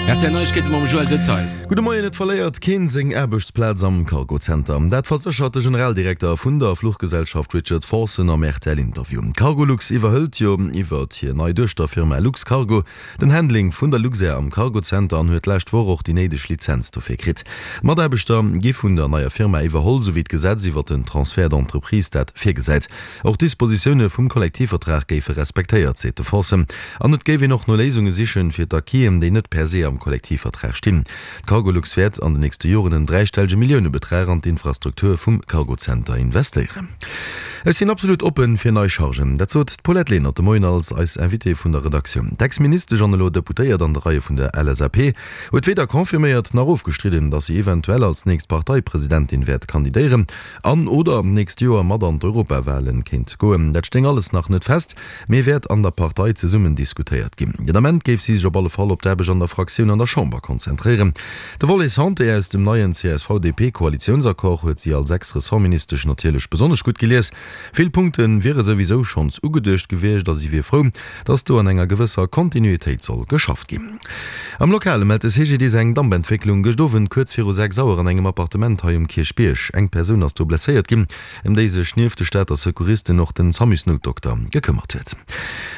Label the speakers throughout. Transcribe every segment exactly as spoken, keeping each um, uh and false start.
Speaker 1: R T L Neiegkeete mam Joël Detail.
Speaker 2: Gudde Moien, Et verléiert keen seng Aarbechtsplaz am Cargo-Zenter. Dat verséchert de Generaldirekter vun der Fluchgesellschaft Richard Forson am R T L-Interview. Cargolux iwwerhëlt jo iwwert hir nei Duechterfirma Luxcargo den Handling vun der Luxair am Cargo-Zenter an huet d'lescht Woch och déi néideg Lizenz dofir kritt. D'Mataarbechter gi vun der neier Firma iwwerholl, sou wéi d'Gesetz iwwert den Transfert d'entreprise dat virgesäit. Och d'Dispositioune vum Kollektivvertrag géife respektéiert, seet de Forson. An et géif een och no Léisunge sichen, fir d'Acquisen, déi net per se am Kollektivvertrag stinn. D'Cargolux wäert an den nächste Joren en dräistellege Milliounebetrag an d'Infrastruktur vum Cargozenter investéieren. Ech sinn absolut oppen fir nei Chargen. Dat sot d'Paulette Lenert de Moien als eis Invitée vun der Redaktioun. D'Ex-Ministesch an elo Deputéiert an de Reie vun der L S A P huet weder confirméiert nach ofgestridden, datt si eventuell als nächst Parteipresidentin wäert kandidéieren an oder nächst Joer mat an d'Europawalen kéint goen. Dat stéing alles nach net fest, mee wäert an der Partei zesummen diskutéiert ginn. Den Ament géif si sech op alle Fall op d'Aarbecht an der Fraktioun an der Chamber konzentréieren. De Volet Santé aus dem neien C S V-D P-Koalitiounsaccord huet si als Ex-Ressortministesch natierlech besonnesch gutt gelies. Vill Punkte wiere souwisou schonns ugeduecht gewiescht a si wier frou, datt do an enger gewësser Kontinuitéit soll geschafft ginn. Am Lokale mellt de C G D I S eng Dampentwécklung gëscht Owend kuerz viru sechs Auer an engem Appartement hei um Kierchbierg. Eng Persoun ass do blesséiert ginn, ëm déi sech nieft de Stater Secouristen och den Samusnoutdokter gekëmmert huet.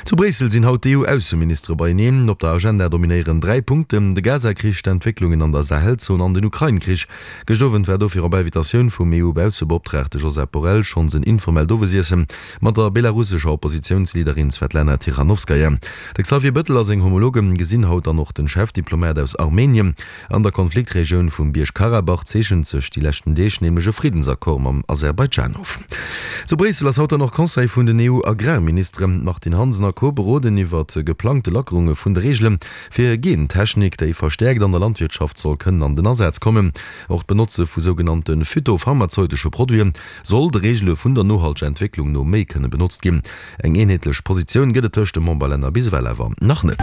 Speaker 2: Zu Bréissel sinn haut d'E U-Ausseministere beieneen. Op der Agenda dominéieren dräi Punkten, de Gaza-Krich, d'Entwécklungen an der Sahelzon an den Ukrain-Krich. Gëscht Owend war dofir op Invitatioun vum E U-Baussebeoptraagte Josep Borrell schonns en informellt Owesiesse mat der belarussescher Oppositiounsleaderin Svetlana Tichanowskaja. De Xavier Bëttel a seng Homologe gesinn haut dann och den Chefdiplomat aus Armenien. An der Konfliktregioun vum Bierg-Karabach zeechent sech déi leschten Deeg nämlech e Friddensaccord mam Aserbaidschan of. Zu Bréissel ass haut dann och Conseil vun den E U-Agrarministeren. D'Martine Hansen a Co. Beroden iwwer geplangte Lackerunge vun de Reegele fir Gentechnik, déi verstäerkt an der Landwirtschaft soll kënnen an den Asaz kommen. Och d'Benotze vu sougenannte phytopharmazeutesche Produite soll de Reegele vun der nohalteger Entwécklung no méi kënne benotzt ginn. Eng eenheetlech Positioun gëtt et tëscht de Memberlänner bis ewell awer nach net.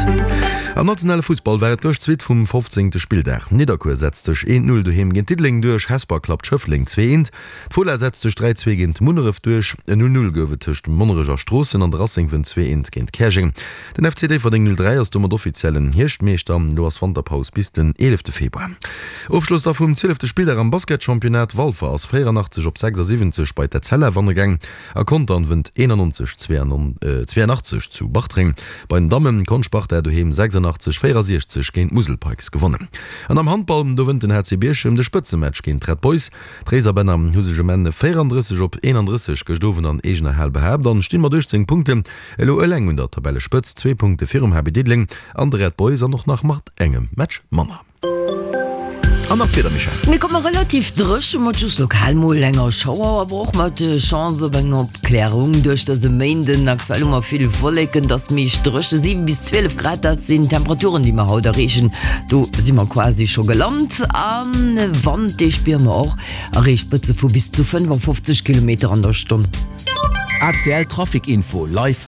Speaker 2: Am nationale Fussball war et gëscht d'Suite vum fofzéngte Spilldag. Nidderkuer setzt sech eent Null doheem géint Diddeleng duerch, Hesper klappt Schëffleng zwee eent, d'Fola setzt sech dräi zwee géint Munneref duerch, en Null Null gouf et tëscht Monnerech a Stroossen an de Racing wënnt zwee eent géint Käerjeng. Den F C Déifferdeng null dräi ass domat offiziellen Hierschtmeeschter. Elo ass Wanterpaus bis den eelefte Februar. Ofschloss da vum zwielefte Spilldag am Basketchampionnat, Walfer ass véieranachtzeg op sechsasiwwenzeg bei d'Etzella wanne gaang a Contern wënnt eenannonzeg zwéianachtzeg zu Bartreng. Bei den Damme konnt Sparta doheem sechsandachtzeg véierasiechzeg géint d'Musel Pikes gewonnen. An am Handball, do wënnt den H C Bierchem de Spëtzematch géint d'Red Boys. D'Réiserbänner hu sech um Enn véierandrësseg op eenandrësseg gëscht Owend an eegener Hal behaapt an stinn mat uechtzéng Punkten elo eleng un der Tabellespëtzt, zwee Punkte virum H B Diddeleng an de Red Boys an och nach mat engem Match manner. An nach d'Wieder, Michèle.
Speaker 3: Mir komme relativ dréche mat just lokal mol enger Schauer, awer och mat Chance op eng Opklärung duerch dëse Méinden. Aktuell hu mer vill Wolleken, et ass meescht dréche, siwe bis zwielef Grad, dat sinn d'Temperaturen, déi mer haut erreechen. Do si mer quasi scho gelant. A Wand, dee spiere mer och, erreecht Spëtze vu bis zu fënnefofzeg Kilometer an der Stonn.
Speaker 4: A C L Trafic Info live.